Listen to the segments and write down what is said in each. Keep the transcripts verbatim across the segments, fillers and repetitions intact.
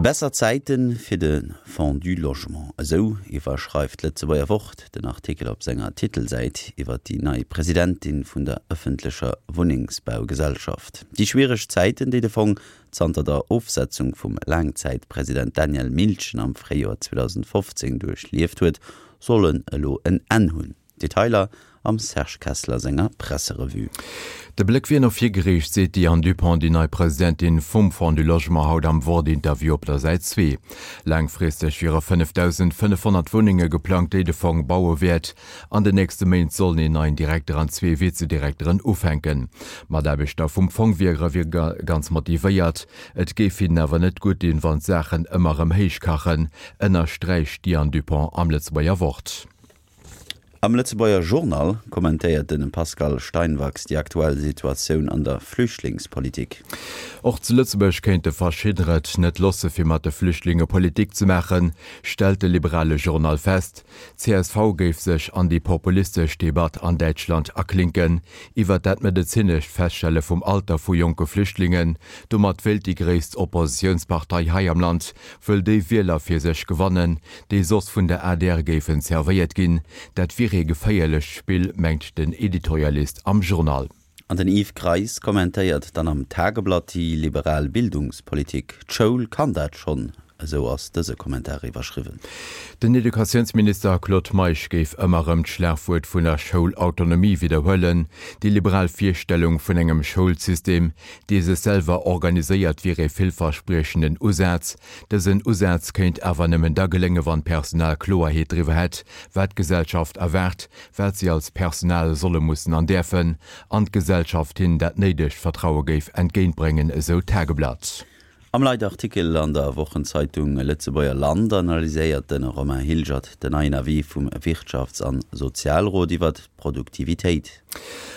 Besser Zäite fir de Fonds du Logement, esou iwwerschreift d'Lëtzebuerger Wort den Artikel op senger Titelsäit iwwer déi nei Presidentin vun der ëffentlecher Wunnengsbaugesellschaft. Déi schwiereg Zäiten, déi de Fong zanter der Ofsetzung vum Laangzäitpresident Daniel Miltgen am Fréijoer zweedausendfofzéng duerchlieft huet, sollen elo en Enn hunn. Detailer am Serge Kessler senger Presserevue. De Bléck wier no vir geriicht, seet d'Diane Dupont, déi nei Presidentin vum Fonds du Logement haut am Wort-Interview op der Säit zwee. Laangfristeg wiere fënnefdausendfënnefhonnert Wunnenge geplangt, déi de Fong baue wäert. An den nächste Méint sollen een neien Direkter an zwee Vizedirekteren ufänken. D'Mataarbechter vum Fong wiere ganz motivéiert. Et géif hinnen awer net gutt dinn, wann d'Saachen ëmmer erëm héich kachen, ënnersträicht d'Diane Dupont am Lëtzebuerger Wort. Am Lëtzebuerger Journal kommentéiert de Pascal Steinwachs déi aktuell Situatioun an der Flüchtlingspolitik. Och zu Lëtzebuerg kéinte verschiddener et net loosse fir mat de Flüchtlinge Politik ze maachen, stellt de liberale Journal fest. Csv géif sech an déi populistesch Debatt an Däitschland aklinken iwwer dat medezinescht Feststelle vum Alter vu jonke Flüchtlingen. Domat wéilt déi gréisst Oppositiounspartei hei am Land wëll déi Wieler fir sech gewannen, déi soss vun der adr géifen zerwéiert ginn. Dat wier ee geféierlecht Spill, mengt den Editorialist am Journal. An den Yves Greis kommentéiert dann am Tageblatt déi liberal Bildungspolitik. D'Schoul kann dat schonn, esou ass dëse Kommentar iwwerschriwwen. Den Educatiounsminister Claude Meisch géif ëmmer erëm d'Schlagwuert vun der Schoulautonomie widderhuelen. Déi liberal Virstellung vun engem Schoulsystem, dee sech selwer organiséiert, wier ee villverspriechenden Usaz. Dësen Usaz kéint awer nëmmen da gelénge wann d'Personal Kloerheet driwwer hätt, wat d'Gesellschaft erwaart, wat si als Personal solle mussen an däerfen, an d'Gesellschaft hinnen dat néidegt Vertraue géif entgéintbréngen, esou d'Tageblatt. Am Leitartikel an der Wochenzeitung Lëtzebuerger Land analyséiert de Romain Hilgert den neien Avis vum Wirtschafts an Sozialrot iwwer d'Produktivitéit.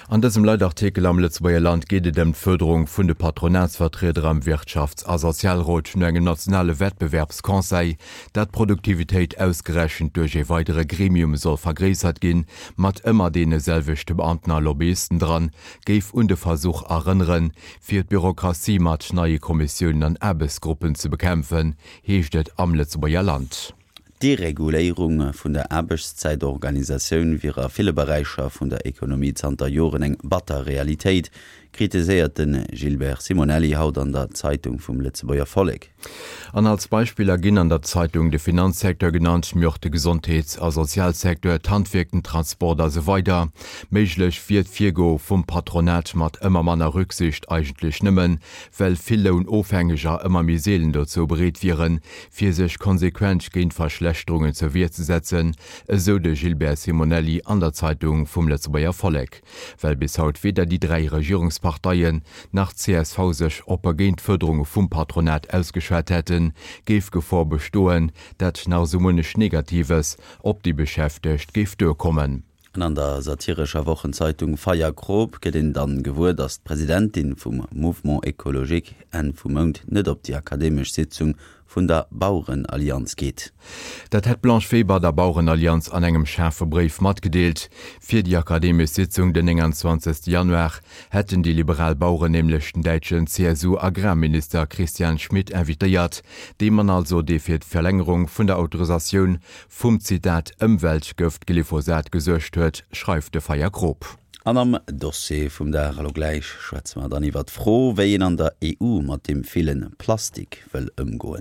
An dësem Leitartikel am Lëtzebuerger Land geet et ëm d'Fërderung vun de Patronatsvertrieder am Wirtschafts a Sozialrot no engem nationale Wettbewerbsconseil, dat d'Produktivitéit ausgerechent duerch ee weidere Gremium soll vergréissert ginn, mat ëmmer deene selwechte Beamten a Lobbyisten dran, géif un de Versuch erënneren, fir d'Bürokratie mat neie Kommissiounen an Aarbechtsgruppen ze bekämpfen, heescht et am Lëtzebuerger Land. D'Dereguléierung vun der Aarbechtszäitorganisatioun wier a ville Beräicher vun der Ekonomie zanter Joren eng batter Realitéit, kritiséiert de Gilbert Simonelli haut an der Zeitung vum Lëtzebuerger Vollek. An als Beispiller ginn an der Zeitung de Finanzsecteur genannt, mee och de Gesondheets a Sozialsecteur, d'Handwierk, den Transport a sou weider. Méiglech wier d'Virgoe vum Patronat mat ëmmer manner Rücksicht eigentlech nëmmen, well vill Lounofhängeger ëmmer méi seelen dozou bereet wieren, fir sech konsequent géint Verschlechterungen zur Wier ze setzen, esou de Gilbert Simonelli an der Zeitung vum Lëtzebuerger Vollek. Well bis haut weder déi dräi Regierungsparteien nach d'CSV sech oppe géint d'Fuerderunge vum Patronat ausgeschwat hätten, géif d'Gefor bestoen, dat nach esou munnech Negatives op déi Beschäftegt géif duerkommen. An an der satirescher Wochenzeitung Feierkrop gëtt een dann gewuer, datt d'Presidentin vum Mouvement Ecologique Enn vum Mount net op déi akademesch Sitzung vun der Bauerenallianz geet. Dat hätt d'Blanche Weber der Bauerenallianz an engem schaarfe Bréif matgedeelt. Fir déi akademesch Sitzung den nénganzwanzegste Januar hätten déi liberal Baueren nämlech den däitschen C S U-Agrarminister Christian Schmit invitéiert, dee Mann also, dee fir d'Verlängerung vun der Autorisatioun vum, Zitat, Ëmweltgëft Glyphosat gesuergt huet, schreift de Feyer-Grob. An am Dossier vum Dag elo gläich schwätze mer dann iwwer d'Fro, wéi een an der E U mat deem ville Plastik wëll ëmgoen.